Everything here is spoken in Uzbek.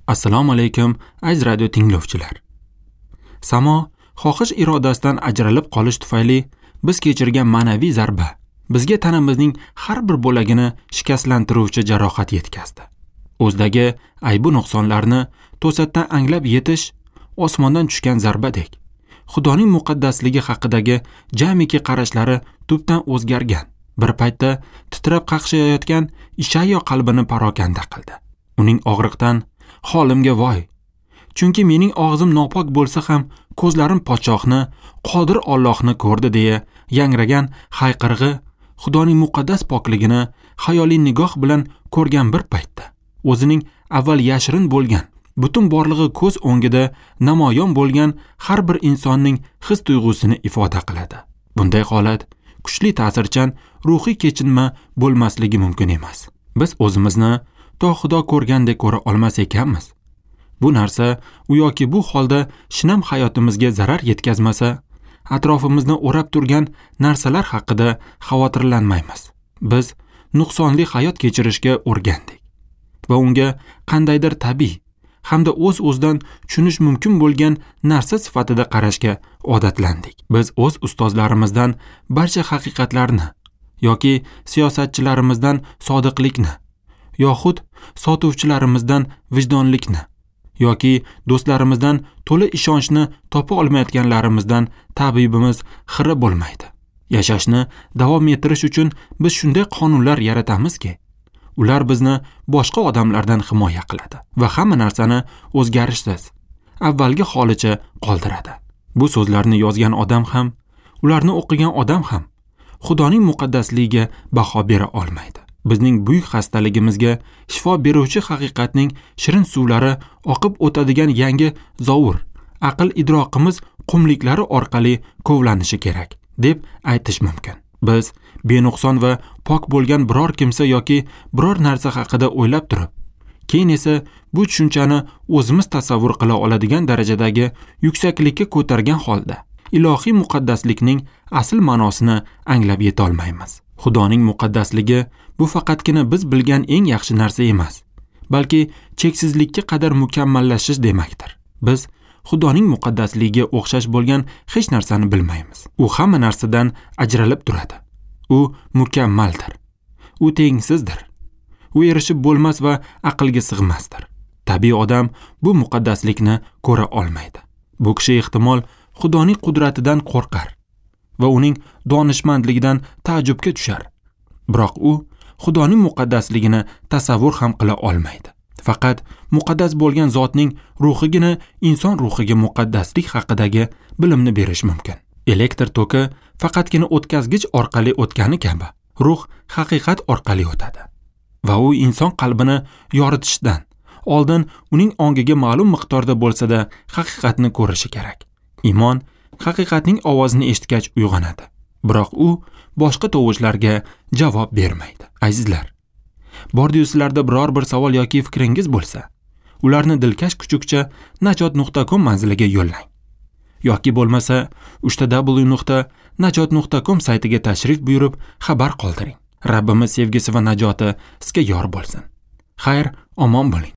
Assalomu alaykum, aziz radio tinglovchilar. Samo xohish irodasidan ajralib qolish tufayli biz kechirgan ma'naviy zarba bizga tanamizning har bir bo'lagini shikastlantiruvchi jarohat yetkazdi. O'zdagi aybu nuqsonlarni to'satdan anglab yetish osmondan tushgan zarbadek. Xudoning muqaddasligi haqidagi jamiki qarashlari tubdan o'zgargan. Bir paytda titrab qaqshayotgan Ishayyo qalbini parokanda qildi. Uning og'riqdan holimga voy, chunki mening og'zim nopok bo'lsa ham ko'zlarim podshohni, qodir Allohni ko'rdi deya yangragan hayqirig'i Xudoning muqaddas pokligini xayoliy nigoh bilan ko'rgan bir paytda o'zining avval yashirin bo'lgan butun borlig'i ko'z o'ngida namoyon bo'lgan har bir insonning his tuyg'usini ifoda qiladi. Bunday holat kuchli ta'sirchan ruhiy kechinma bo'lmasligi mumkin emas. Biz o'zimizni to Xudo ko'rgandek ko'ra olmas ekanmiz. Bu narsa u yoki bu holda shinam hayotimizga zarar yetkazmasa, atrofimizni o'rab turgan narsalar haqida xavotirlanmaymiz. Biz nuqsonli hayot kechirishga o'rgandik va unga qandaydir tabiiy hamda o'z-o'zidan tushunish mumkin bo'lgan narsa sifatida qarashga odatlandik. Biz o'z ustozlarimizdan barcha haqiqatlarni yoki siyosatchilarimizdan sodiqlikni yoxud sotuvchilarimizdan vijdonlikni yoki do'stlarimizdan to'la ishonchni topa olmayotganlarimizdan tabibimiz xira bo'lmaydi. Yashashni davom ettirish uchun biz shunday qonunlar yaratamizki, ular bizni boshqa odamlardan himoya qiladi va hamma narsani o'zgarishsiz avvalgi holicha qoldiradi. Bu so'zlarni yozgan odam ham, ularni o'qigan odam ham Xudoning muqaddasligiga baho bera olmaydi. Bizning buyuk xastaligimizga shifo beruvchi haqiqatning shirin suvlari oqib o'tadigan yangi zovur aql idroqimiz qumliklari orqali kovlanishi kerak deb aytish mumkin. Biz benuqson va pok bo'lgan biror kimsa yoki biror narsa haqida o'ylab turib, keyin esa bu tushunchani o'zimiz tasavvur qila oladigan darajadagi yuksaklikka ko'targan holda ilohiy muqaddaslikning asl ma'nosini anglab yeta olmaymiz. Xudoning muqaddasligi bu faqatgina biz bilgan eng yaxshi narsa emas, balki cheksizlikka qadar mukammallashish demakdir. Biz Xudoning muqaddasligiga o'xshash bo'lgan hech narsani bilmaymiz. U hamma narsadan ajralib turadi. U mukammaldir. U tengsizdir. U erishib bo'lmas va aqlga sig'masdir. Tabiiy odam bu muqaddaslikni ko'ra olmaydi. Bu kishi ehtimol Xudoning qudratidan qo'rqar va uning donishmandligidan ta'jubga tushar. Biroq u Xudoning muqaddasligini tasavvur ham qila olmaydi. Faqat muqaddas bo'lgan zotning ruhigina inson ruhiga muqaddaslik haqidagi bilimni berish mumkin. Elektr toki faqatgina o'tkazgich orqali o'tgani kabi, ruh haqiqat orqali o'tadi va u inson qalbini yoritishdan oldin uning ongiga ma'lum miqdorda bo'lsa-da haqiqatni ko'rishi kerak. Iymon haqiqatning ovozini eshitgach uyg'onadi. Biroq u boshqa tovushlarga javob bermaydi. Azizlar, bordi-yu sizlarda biror bir savol yoki fikringiz bo'lsa, ularni dilkash kuchukcha najot.com manziliga yo'llang. Yoki bo'lmasa www.najot.com saytiga tashrif buyurib xabar qoldiring. Rabbimiz sevgisi va najoti sizga yor bo'lsin. Xayr, omon bo'ling.